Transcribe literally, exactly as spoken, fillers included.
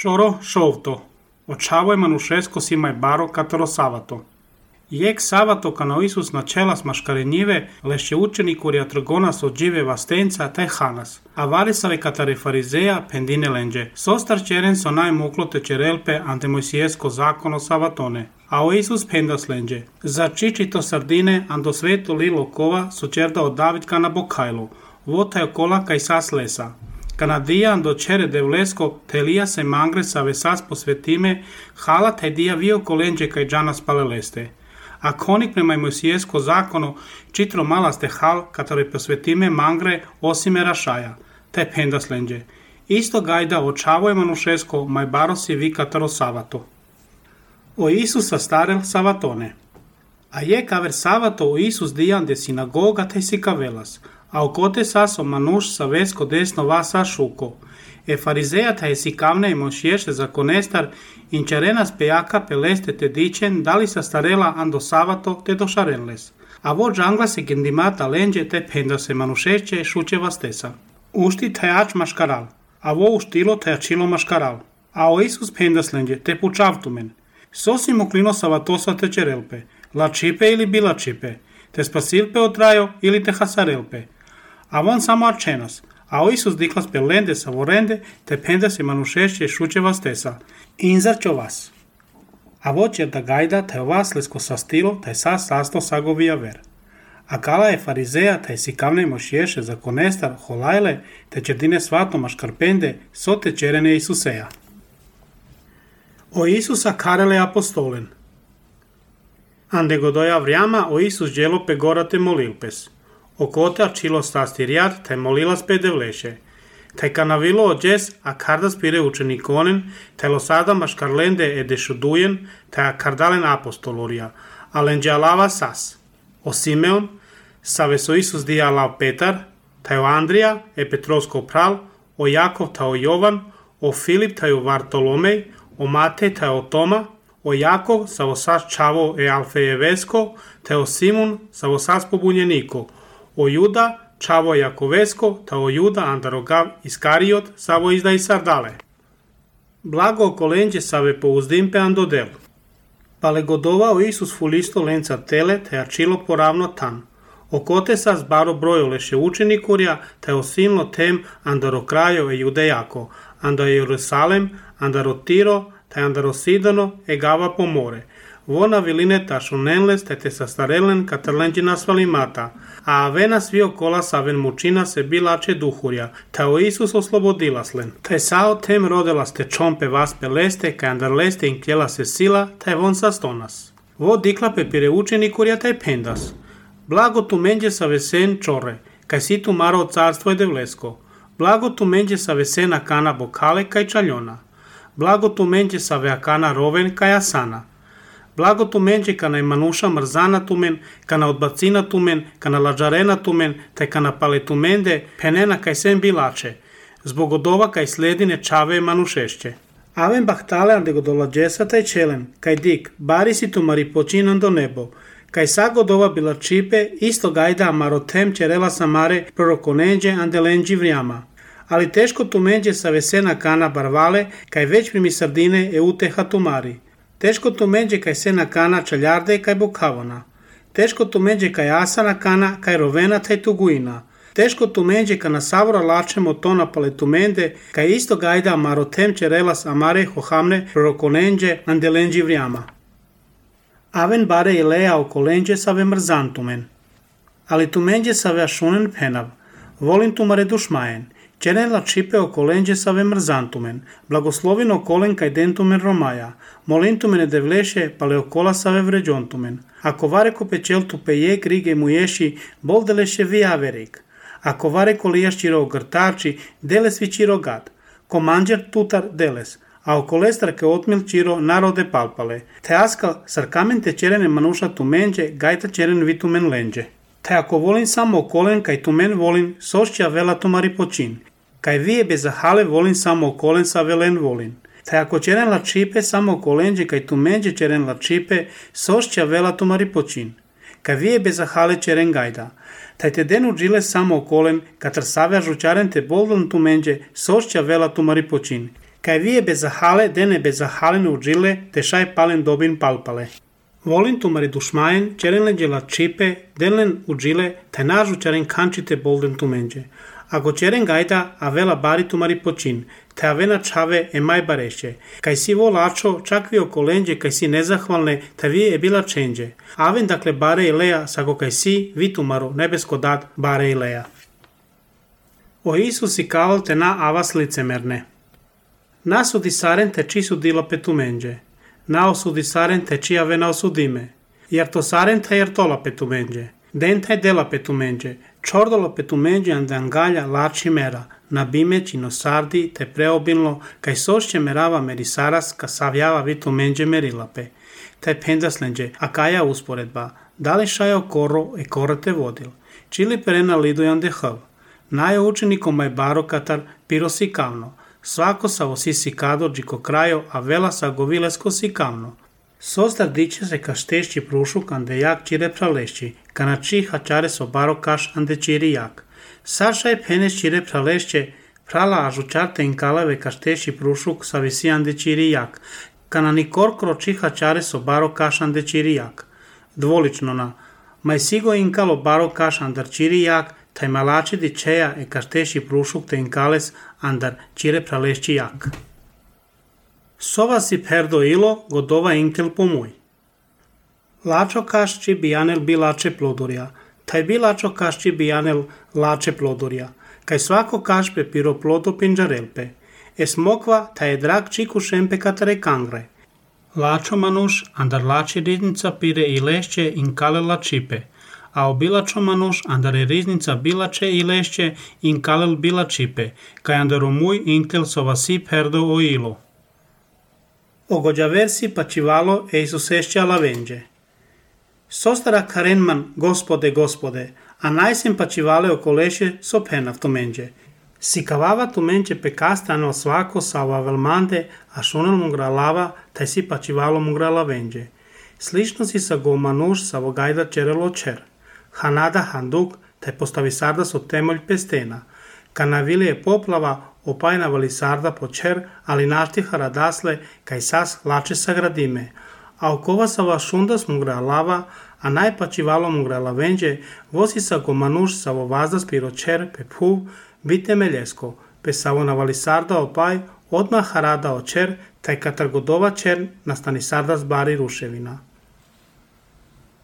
Шоро шовто. Очаво е манушеско си мај баро каторо савато. Јек савато кано Исус начела с машкарениве, леше учени курија тргонас од живе вастенца тај ханас. А варисаве катаре фаризеја пендине ленџе. Состар черен со најмукло те черелпе анте Мојсиеско законо саватоне. А о Исус пендас ленџе. За чичито сардине андо свето лило кова со черда од Давид кана бокајло. Вота е кола кај сас леса. Канадија андо чере девлеско телија се мангре са весас посветиме хала тај дија вио коленџе кај джанас палелесте. A konik prema Mojsijesko zakonu čitro malaste hal katore posvetime mangre osime rašaja, te pendas lenđe. Isto gajda očavo je manušesko maj barosi vi kataro savato. O Isusa starel savatone. A je kaver savato o Isus dijan de sinagoga te si kavelas, a okote saso manuš sa vesko desno vasa šuko. E farizeja ta si kavne i mošješe zakonestar inčarenas pejaka peleste te dičen dali sa starela ando savato te do šarenles. A vo džangla se gendimata lenđe te penda se manušeće šuće vastesa. Ušti tajač maškaral, a vo uštilo tajačilo maškaral. A o Isus pendas lenđe te pučavtumen. Sosi moklino savatosa te čerelpe, la čipe ili bila čipe, te spasilpe otrajo ili te hasarelpe. A von samo arčenas, a o Isus diklas pelende sa vorende, te penda se manušeće šuće vastesa. Inzar čo vas. A vo čer da gajda, te vas lesko sastilo, te sa sasto sagovija ver. A kala je farizeja, te si kavne mošješe za konestar, holajle, te čerdine svato maškarpende, so te čerene Isuseja. O Isusa karele apostolen. Ande godoja vrjama o Isus djelo pe gorate molilpes. Okote arčilo stastirjar, te molilas pe devleše. Te kanavilo ođes, a kardas pire učenikonen, te losada maškarlende e dešudujen, te a kardalen apostolorija, a lenđe alava sas. O Simeon, save so Isus dija alav Petar, te o Andrija, e Petrovsko pral, o Jakov, te o Jovan, o Filip, te o Vartolomej, o Matej, te o Toma, o Jakov, savo sas čavo e Alfejevesko, te o Simun, savo sas pobunjeniko, o Juda, čavo Jakovesko, ta o Juda andarogav Iskariot, savo izda i sardale. Blago okolenđe save pouzdimpe andodel. Pale godova o Isus fulisto lenca tele, te ačilo poravno tan. Okote sas baro brojo leše učenikurja, te osilno tem andaro krajo e Judejako, anda Jerusalem, andaro Tiro, te andaro Sidono e gava po more. Vona viline tašunenles te te sastarelen katarlenđi nasvalimata, a avena svi okola saven mučina se bilače duhurja, ta o Isus oslobodilaslen. Taj sao tem rodelas te čompe vas peleste, kaj andar leste in kjela se sila, taj von sastonas. Vo dikla pe pire učenikurja taj pendas. Blago tu menđe sa vesen čore, kaj si tu maro carstvo je devlesko. Blago tu menđe sa vesena kana bokale kaj čaljona. Blago tu menđe sa veakana roven kaj asana. Blago tu menđe kana i manuša mrzana tumen, kana odbacina tumen, kana lađarena tumen, te kana pale tumende, penena kaj sem bilače, zbog odova kaj sledine čave manušešće. Aven bahtale ande godolađesa taj čelen, kaj dik, bari si tu mari počinan do nebo, kaj sa godova bila čipe, isto gajda marotem čerela samare prorokonenđe ande lenđi vrijama. Ali teško tu menđe sa vesena kana barvale, kaj već primi sardine e uteha tumari. Teško tu menđe kaj sena kana čaljarde kaj bokavona. Teško tu menđe kaj asana kana kaj rovena taj tuguina. Teško tu menđe kana savora lačemo tona pale tumende kaj isto gajda marotem čerelas amare hohamne prorokonenđe andelenđi vrijama. Aven bare i leja okolenđe save mrzantumen. Ali tu menđe save ašunen penav. Volim tu mare dušmajen. Čerela čipe okolenđe save mrzantumen, blagoslovino okolen kaj dentumen romaja, molintumene devleše pale okola save vređontumen. Ako vareko pečeltu pejek rige muješi, bol deleše vi averik. Ako vareko lijaščiro ogrtači, deles vi čiro gad. Komanđer tutar deles, a okolestar ke otmil čiro narode palpale. Te askal sarkamen te čerene manuša tumenđe, gajta čeren vi tumen lenđe. Te ako volin samo okolen kaj tumen volin, sošća vela tumari počin. Kaj vije bez zahale volin samo okolen sa velen volin. Te ako čeren la čipe samo okolenđe kaj tumenđe čeren la čipe, sošća vela tumari počin. Kaj vije bez zahale čeren gajda. Taj te denu džile samo okolen, katr savja žučaren te boldan tumenđe, sošća vela tumari počin. Kaj vie bezahale, dene bezahalen udžile, te šaj palen dobin palpale. Volin tumari dušmajen, čerenle djela čipe, denlen udžile, taj nažu čaren kančite bolden tumenđe. Ako čeren gajda, a vela bari tumari počin, te avena čave e maj bareše. Kaj si vo lačo, čak vi okolenđe, kaj si nezahvalne, te vi je bila čenđe. Aven dakle bare i leja, sako kaj si, vi tumaro, nebesko dat, bare i leja. O Isusi kaol te na avas licemerne. Nasudi saren te či sudila petumenđe. Na osudi saren te či avena osudime. Jer to saren te jer tola petumenđe. Den taj dela petumenđe. Čordolo petumenđe andangalja lači mera. Na bimeć i nosardi te preobilno, kaj sošće merava merisaras, ka savjava vitumenđe merilape. Taj pendaslenđe, a kaja usporedba. Da li šajo koro e koro te vodil. Čili perena lidujan dehav. Najo učenikom maj baro katar pirosi kavno. Svako sa osi sikado džiko krajo, a vela sa govilesko sikavno. Sostar diče se ka štešći prušuk ande jak čire pralešći, ka na či hačare so baro kaš ande čiri jak. Sašaj peneš čire pralešće, prala ažučarte inkaleve ka štešći prušuk sa visi ande čiri jak, ka na nikorkro či hačare so baro kaš ande čiri jak. Dvolično na, maj sigo inkalo baro kaš andar čiri jak, taj malači di čeja e ka štešći prušuk te inkales andar čire pralešći jak. Sova si perdo ilo, godova inkel pomoj. Lačo kašči bijanel bi lače plodorja, taj bi lačo kašči bijanel lače plodorja, kaj svako kašpe piro plodo pinđarelpe. Es mokva, taj je drag čiku šempe katare kangre. Lačo manuš, andar lači riznica pire i lešće inkale lačipe, a obilačo manuš, andar je riznica bilače i lešće inkalel bilačipe, kaj andar omuj inkel sova si perdo o ilo. Ogođaversi pačivalo e Isusešća lavenđe. Sostara karenman, gospode, gospode, a najsem pačivale okoleše so penav tumenđe. Sikavava tumenđe pekastano svako sa ova velmande, a šunel mugra lava, taj si pačivalo mugra lavenđe. Slično si sa gomanuš sa vogajda čerelo čer. Hanada handuk, taj postavi sarda so temolj pestena. Kanavili je poplava, opajna vali sarda po čer, ali naštiha radasle, kaj sas lače sagradime. A okova sa va šundas mugra lava, a najpačivalo mugra lavenđe, vosi sa gomanuš sa vo vazdas piro čer, pe puv, bite meljesko, pe sa vo navali sarda opaj, odmah harada o čer, taj katar godova čer, nastani sarda zbari ruševina.